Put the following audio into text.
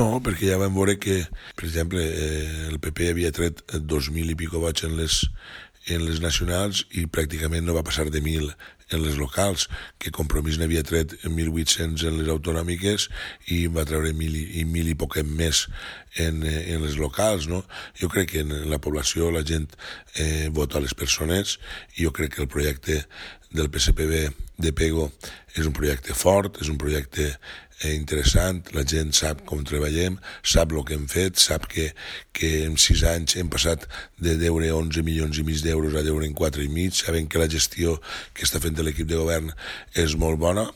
No, perquè ja vam veure que, per exemple, el PP havia tret 2.000 i pico vots en les nacionals i pràcticament no va passar de 1.000 en les locals, que Compromís n'havia tret 1.800 en les autonòmiques i va treure 1.000 i poquet més en les locals, no? Jo crec que en la població la gent vota a les persones i jo crec que el projecte del PSPB de Pego és un projecte fort, és un projecte interessant, la gent sap com treballem, sap el que hem fet, sap que en 6 anys hem passat de deure 11 milions i mig d'euros a deure en 4 i mig, sabem que la gestió que està fent l'equip de govern és molt bona